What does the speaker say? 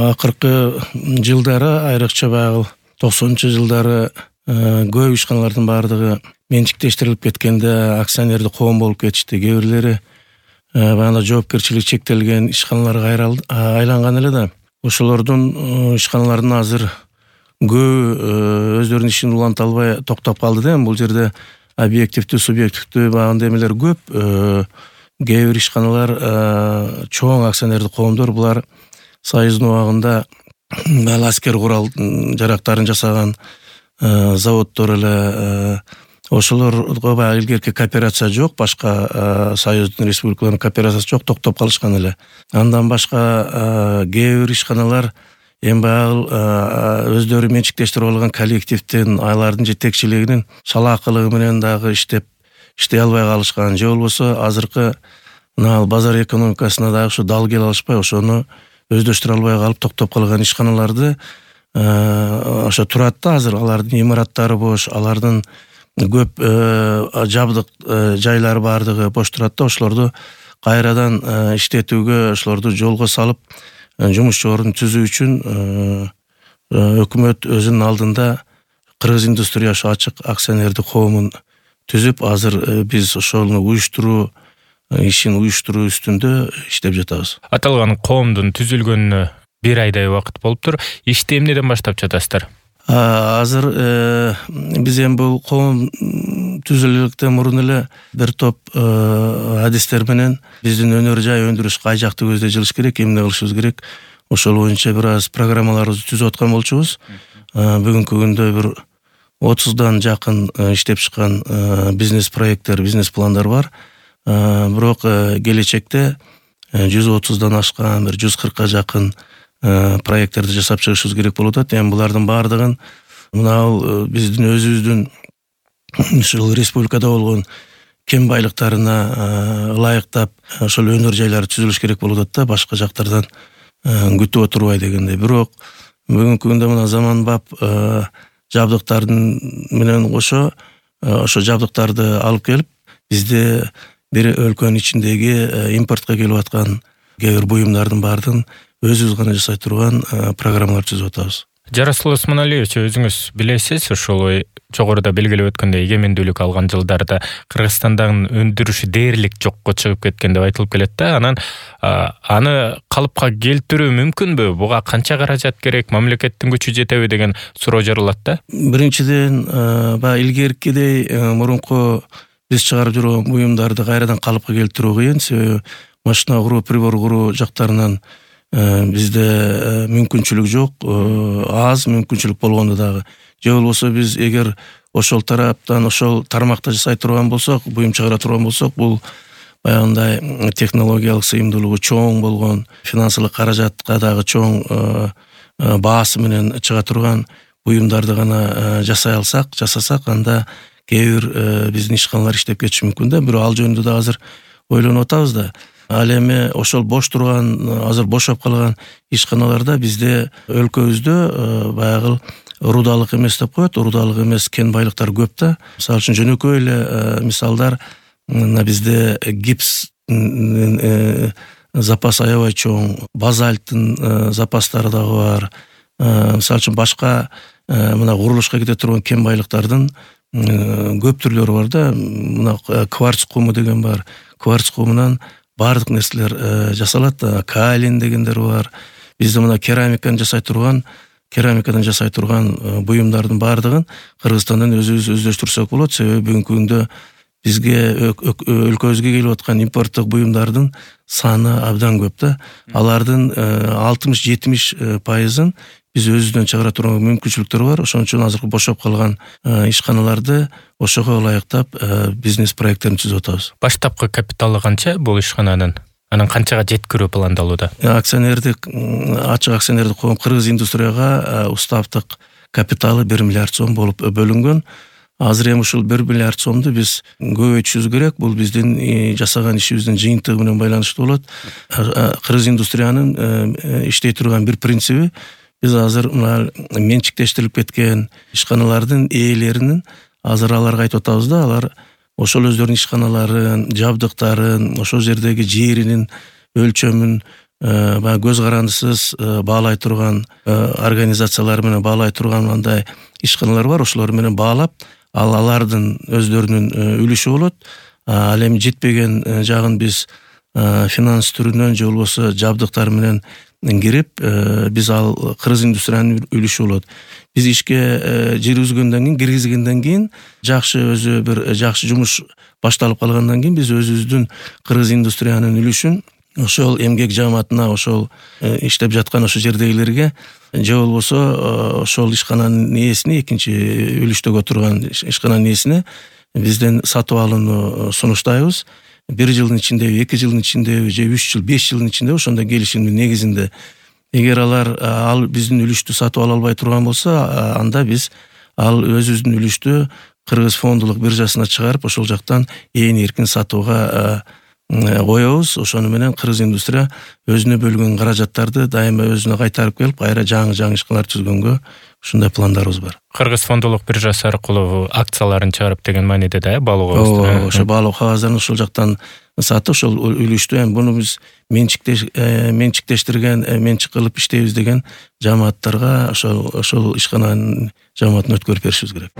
Акыркы жылдары, айрыкча баягы 90-жылдары көп ишканалардын баардыгы менчиктештирилип кеткенде акционердик коом болуп кетишти. Кээ бирлери баягы жоопкерчилиги чектелген ишканаларга айланган эле да. Ошолордун ишканаларынын азыр көп өздөрүнүн ишин уланта албай токтоп калды да. Бул жерде объективдүү, субъективдүү баягы эмелер көп. Кээ бир ишканалар чоң акционердик коомдор, булар Союздун убагында аскер курал жарактарын жасаган заводдор эле, ошолорго баягы илгерки кооперация жок, башка Союздун республикаларынын кооперациясы жок, токтоп калышкан эле. Андан башка кээ бир ишканалар эми баягы өздөрү менчиктештирип алган коллективдин, алардын жетекчилигинин шалаакылыгы менен дагы иштей албай калышкан, же болбосо азыркы мына базар экономикасына дагы ушу дал келе алышпай, ошону өздөштүрө албай калып токтоп калган ишканаларды ошо турат да. Азыр алардын имараттары бош, алардын көп жабдык жайлары баардыгы бош турат да. Ошолорду кайрадан иштетүүгө, ошолорду жолго салып жумушчу орун түзүү үчүн өкмөт өзүнүн алдында Кыргыз индустрия ачык акционердик коомун түзүп, азыр биз ошону ишин уюштуруу үстүндө иштеп жатабыз. Аталган коомдун түзүлгөнүнө 1 айдай убакыт болуптур. Ишти эмнеден баштап жатасыздар? Азыр биз эми бул коом түзүлгөндөн мурун эле бир топ адистер менен биздин өнөр жай өндүрүш кай жакты көздөй жылыш керек, эмне кылышыбыз керек, ошол боюнча бир аз программаларыбызды түзүп аткан болчубуз. Бүгүнкү күндө бир 30дан жакын иштеп чыккан бизнес проекттер, бизнес пландар бар. Бирок келечекте 130дан ашкан, бир 140ка жакын проекттерди жасап чыгышыбыз керек болуп атат. Эми булардын баардыгын мына биздин өзүбүздүн ушул республикада болгон кем байлыктарына ылайыктап ошол өнөр жайлары түзүлүш керек болуп атат да, башка жактардан күтүп отурбай дегендей. Бирок бүгүнкү күндө мына заманбап жабдыктардын менен кошо ошо жабдыктарды алып келип бизде бир өлкөнүн ичиндеги импортко келип аткан кээ бир буюмдардын баардыгын өзүбүз гана жасай турган программалар түзүп атабыз. Жарасыл Осмоналиевич, өзүңүз билесиз, ошол жогоруда белгилеп өткөндөй эгемендүүлүк алган жылдарда Кыргызстандын өндүрүшү дээрлик жокко чыгып кеткен деп айтылып келет да. Анан аны калыпка келтирүү мүмкүнбү? Буга канча каражат керек? Мамлекеттин күчү жетеби деген суроо жаралат да. Биринчиден, баягы илгеркидей мурунку биз чыгарып жүргөн буюмдарды кайрадан калыпка келтирүү кыйын. Себеби машина куруу, прибор куруу жактарынан бизде мүмкүнчүлүк жок, аз мүмкүнчүлүк болгондо дагы. Же болбосо биз эгер ошол тараптан, ошол тармакта жасай турган болсок, буюм чыгара турган болсок, бул баягындай технологиялык сыйымдуулугу чоң болгон, финансылык каражатка дагы чоң баасы менен чыга турган буюмдарды гана жасасак, анда кээ бир биздин ишканалар иштеп кетиши мүмкүн да. Бирок ал жөнүндө да азыр ойлонуп атабыз да. Ал эми ошол бош турган, азыр бошоп калган ишканаларда бизде өлкөбүздө баягы рудалык эмес деп коет, рудалык эмес кен байлыктар көп да. Мисалы үчүн жөнөкөй эле мисалдар, мына бизде гипс запас аябай чоң, базальттын запастары дагы бар. Мисалы үчүн башка мына курулушка кете турган кен байлыктардын көп түрлөрү бар да. Мына кварц куму деген бар. Кварц кумунан бардык нерселер жасалат. Каолин дегендер бар. Бизде мына керамикадан жасай турган буюмдардын бардыгын Кыргызстандан өзүбүз өздөштүрсөк болот. Себеби бүгүнкү күндө бизге өлкөбүзгө келип аткан импорттук буюмдардын саны абдан көп да. Алардын 60-70% биз өзүбүздөн чыгара турган мүмкүнчүлүктөр бар. Ошон үчүн азыркы бошоп калган ишканаларды ошого ылайыктап бизнес проекттерин түзүп атабыз. Баштапкы капиталы канча бул ишкананын? Анан канчага жеткирүү пландалууда? Ачык акционердик коом Кыргыз индустрияга уставдык капиталы 1 миллиард сом болуп бөлүнгөн. Азыр эми ушул 1 миллиард сомду биз көбөйтүшүбүз керек. Бул биздин жасаган ишибиздин жыйынтыгы менен байланыштуу болот. Кыргыз индустриянын иштей турган бир принциби, биз азыр мына менчиктештирилип кеткен ишканалардын ээлеринин азыр аларга айтып атабыз да, алар ошол өздөрүнүн ишканаларын, жабдыктарын, ошол жердеги жеринин өлчөмүн баягы көз карандысыз баалай турган организациялар менен баалай турган андай ишканалар бар. Ошолор менен баалап, алардын өздөрүнүн үлүшү болот. Ал эми жетпеген жагын биз финанс түрүнөн же болбосо жабдыктар менен кирип, биз ал кыргыз индустриянын үлүшү болот. Биз ишке жүргүзгөндөн кийин, киргизгенден кийин жакшы өзү бир жакшы жумуш башталып калгандан кийин биз өзүбүздүн кыргыз индустриянын үлүшүн ошол эмгек жааматына, ошол иштеп жаткан ошол жердегилерге же болбосо ошол ишкананын ээсине, экинчи үлүштөгө турган ишкананын ээсине бизден сатып алууну сунуштайбыз. 1 жылдын ичиндеби, 2 жылдын ичиндеби же 3 жыл, 5 жылдын ичинде ошондой келишимдин негизинде эгер алар ал биздин үлүштү сатып ала албай турган болсо, анда биз ал өзүбүздүн үлүштү Кыргыз фондулук биржасына чыгарып, ошол жактан ээн эркин сатууга коебуз. Ошону менен кыргыз индустрия өзүнө бөлгөн каражаттарды дайыма өзүнө кайтарып келип, кайра жаңы ишканалар түзгөнгө ушундай пландарыбыз бар. Кыргыз фондулук биржасы аркылуу акцияларын чыгарып деген мааниде да, балык ошо балык кагаздарын ошол жактан сатып, ошол үлүштү эми буну биз менчиктештирген, менчик кылып иштейбиз деген жааматтарга ошол ишкананын жааматын өткөрүп беришибиз керек.